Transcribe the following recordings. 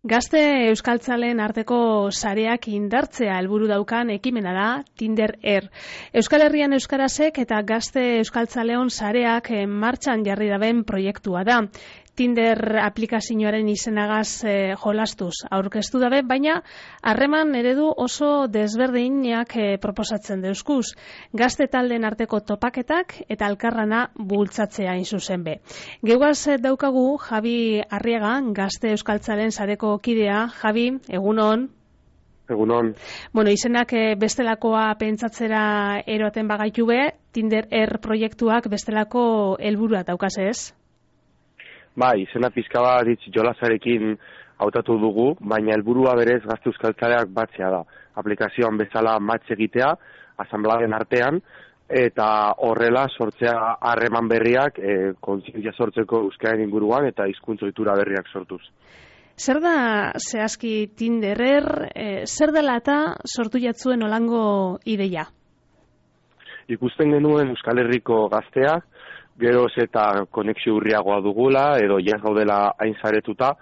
Gazte euskaltzaleen arteko sareak indartzea helburu daukan ekimena da Tinder Er. Euskal Herrian euskarazek eta gazte euskaltzaleon sareak martxan jarri daben proiektua da. Tinder aplikazioaren izenagaz jolastuz aurkeztu dabe, baina harreman eredu oso desberdinak proposatzen deuskuz. Gazte taldeen arteko topaketak eta elkarrana bultzatzea hain zuzen be. Geugaz daukagu Javi Arriaga, gazte euskaltzalen sareko kidea. Javi, egunon. Egunon. Bueno, izenak bestelakoa pentsatzera eroaten bagaitu be, Tinder Er proiektuak bestelako helburua daukaz ez? Bai, izena pizka bat jolasarekin hautatu dugu, baina helburua berez gazte euskaltzaleak batzea da. Aplikazioan bezala match egitea, asanbladen artean, eta horrela sortzea harreman berriak, kontzientzia sortzeko euskaren inguruan eta hizkuntza ohitura berriak sortuz. Zer da zehazki Tinder Er, zer dela eta sortu jatzuen olango ideia? Ikusten genuen Euskal Herriko gazteak, geroz eta konexio urriagoa dugula, edo jas gaudela hain zaretuta,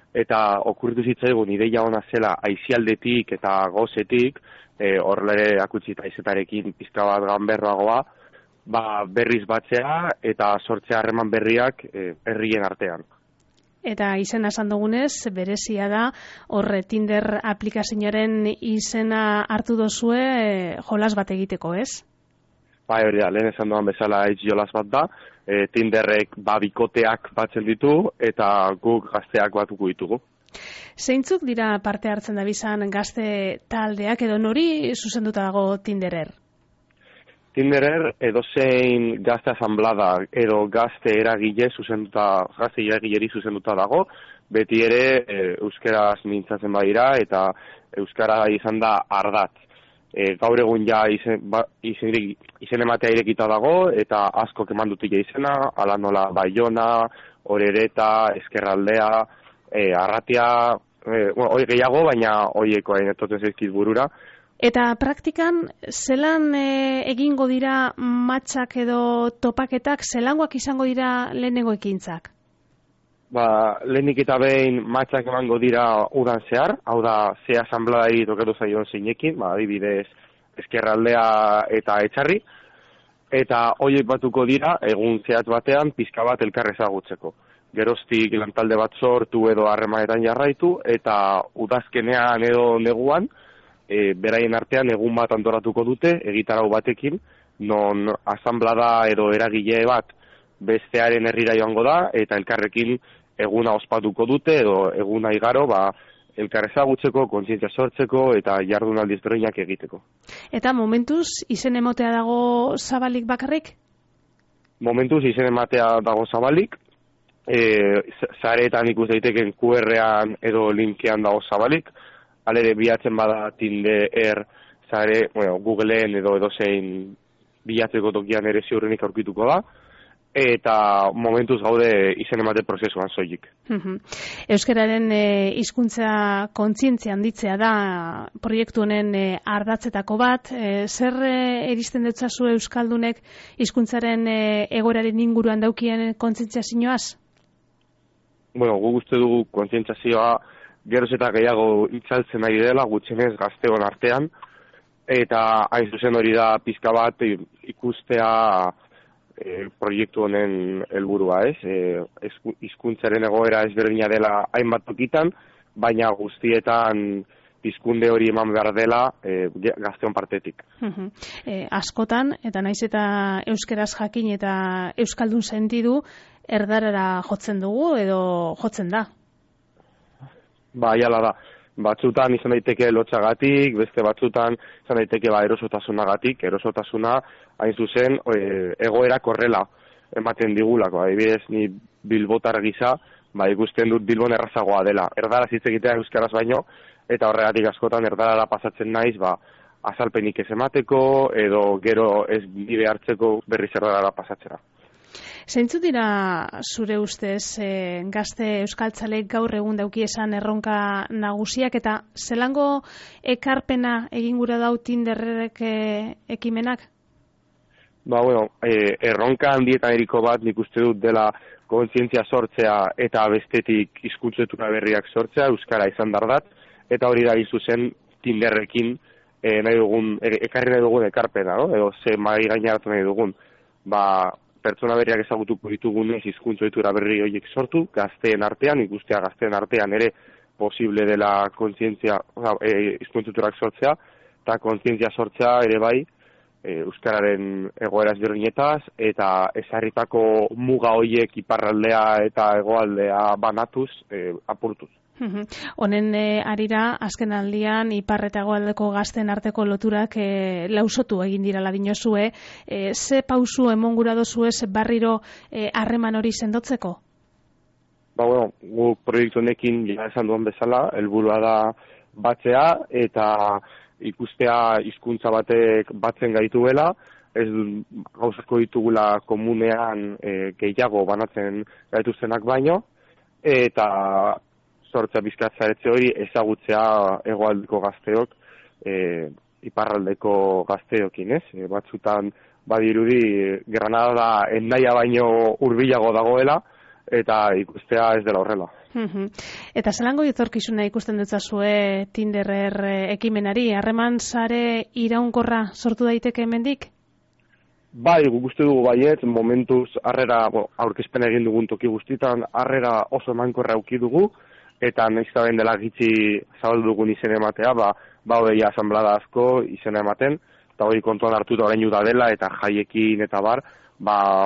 eta okurritu zitzaigun ideia ona zela aizialdetik eta gozetik, horrela akutsita izetarekin pizka bat ganberroagoa, berriz batzea eta sortzea harreman berriak herrien artean. Eta izena esan dugunez, berezia da, horre Tinder aplikazioaren izena hartu dozue jolas bat egiteko, ez? Bai, hori da, lehen esan duan bezala jolas bat da, Tinderrek bikoteak batzen ditu eta guk gazteak batuko ditugu. Zeintzuk dira parte hartzen dabizan gazte taldeak edo nori zuzenduta dago Tinder Er? Tinder Er edozein gazte asanblada edo gazte eragileri zuzenduta dago, beti ere euskaraz mintzatzen badira eta euskara izan da ardatz. Gaur egun ja izen ematea irekita dago eta askok eman dutik izena, ala nola Baiona, Orereta, Ezkerraldea, Arratia, hori gehiago, baina horieko etotzen zaizkit burura. Eta praktikan, zelan egingo dira matxak edo topaketak, zelangoak izango dira lehenengo ekintzak? Lehenik eta behin matxak emango dira udan zehar, hau da, ze asanbladai tokatu zaion zeinekin, adibidez Ezkerraldea eta Etxarri, eta horiek batuko dira, egun zehat batean, pizka bat elkar ezagutzeko. Geroztik lantalde bat sortu edo harremanetan jarraitu, eta udazkenean edo neguan, beraien artean egun bat antolatuko dute, egitarau batekin, non asanblada edo eragile bat bestearen herrira joango da, eta elkarrekin eguna ospatuko dute, edo eguna igaro, elkar ezagutzeko, kontzientzia sortzeko, eta jardunaldi ezberdinak egiteko. Eta momentuz, izen emotea dago zabalik bakarrik? Momentuz, izen ematea dago zabalik, zareetan ikus daiteken QR-an edo linkean dago zabalik, alere bilatzen bada Tinder Er zare, Googleen edo edozein bilatzeko tokian ere ziurrenik aurkituko da, eta momentuz gaude izen emate prozesuan soilik. Euskararen hizkuntza kontzientzia handitzea da proiektu honen ardatzetako bat. Zer eristen dutzazu euskaldunek hizkuntzaren egoeraren inguruan daukien kontzientziazioaz? Guk uste dugu kontzientzazioa geroz eta gehiago itzaltzen ari dela, gutxienez gazteon artean, eta hain zuzen hori da pizka bat ikustea proiektu honen helburua, ez? Hizkuntzaren egoera ezberdina dela hainbat tokitan, baina guztietan pizkunde hori eman behar dela gazteon partetik. Askotan, eta naiz eta euskeraz jakin eta euskaldun sentidu, erdarara jotzen dugu edo jotzen da? Jala da. Batzutan izan daiteke lotzagatik, beste batzutan izan daiteke erosotasunagatik, erosotasuna hain zuzen egoerak horrela ematen digulako. Adibidez, ni bilbotar gisa, ikusten dut Bilbon errazagoa dela. Erdaraz hitz egitea euskaraz baino, eta horregatik askotan erdarara pasatzen naiz, azalpenik ez emateko, edo gero ez bide hartzeko berriz erdarara pasatzera. Zeintzu dira zure ustez gazte euskaltzaleek gaur egun dauki esan erronka nagusiak eta zelango ekarpena egin gura dau Tinderrek ekimenak? Erronka handietan eriko bat nik uste dut dela kontzientzia sortzea eta bestetik hizkuntzetura berriak sortzea, euskara izan dardat, eta hori da zuzen Tinderrekin ekarri nahi dugun ekarpena, no? Edo ze mai gaineratu nahi dugun, pertsona berriak ezagutuko ditugunez hizkuntzetura berri horiek sortu, gazteen artean, ikustea gazteen artean ere posible dela kontzientzia, hizkuntzeturak sortzea, eta kontzientzia sortzea ere bai, euskararen egoera ezberdinetaz eta ezarritako muga horiek iparraldea eta hegoaldea banatuz, apurtuz. Honen arira, azken aldian, ipar eta hegoaldeko gazten arteko loturak lausotu egin dirala dinozue. Ze pausu emongura dozue barriro harreman hori sendotzeko? Gu proiektu honekin, ja esan duen bezala, helburua da batzea eta ikustea hizkuntza batek batzen gaituela, ez gauzako ditugula komunean gehiago banatzen gaituztenak baino, eta sortzea bizkatzaretze hori ezagutzea hegoaldeko gazteok iparraldeko gazteokin, ez? Batzutan badirudi Granada Hendaia baino hurbilago dagoela, eta ikustea ez dela horrela. Eta zelango etorkizuna ikusten dutzazue Tinder ekimenari, harreman sare iraunkorra sortu daiteke hemendik? Bai, guk uste dugu baiet, momentuz harrera, aurkezpena egin dugun toki guztitan, harrera oso emankorra auki dugu, eta nahiz eta ben dela gitxi zabaldu dugun izen ematea, hori asanblada asko izena ematen, eta hori kontuan hartuta orain da dela, eta jaiekin eta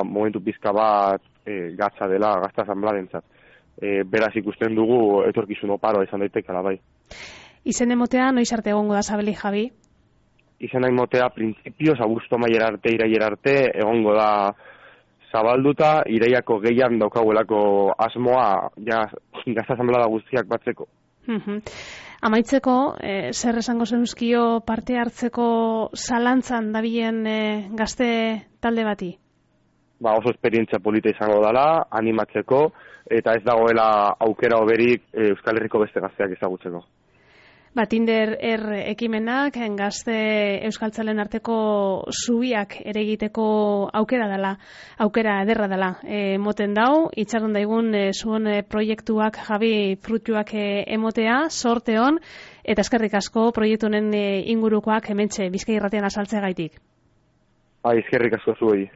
momentu pizka bat gatza dela gazta asanbladentzat. Beraz ikusten dugu etorkizun oparoa izan daitekela bai. Izen emotea noiz arte egongo da Sabeli, Javi? Izen emotea printzipioz abuztu maiera arte, iraiera arte egongo da zabalduta, iraiako gehian daukaguelako asmoa gazta asanblada guztiak batzeko. Amaitzeko, zer esango zenuzkio parte hartzeko zalantzan dabilen gazte talde bati? Oso esperientzia polita izango dela, animatzeko, eta ez dagoela aukera hoberik Euskal Herriko beste gazteak ezagutzeko. Tinder ekimenak gazte euskaltzalen arteko zubiak ere egiteko aukera ederra dela. Moten dau, itxaron daigun zuen proiektuak Javi fruituak emotea, sorte hon, eta eskerrik asko proiektu honen ingurukoak hementxe Bizkai Irratian azaltzea gaitik. Eskerrik asko zuei.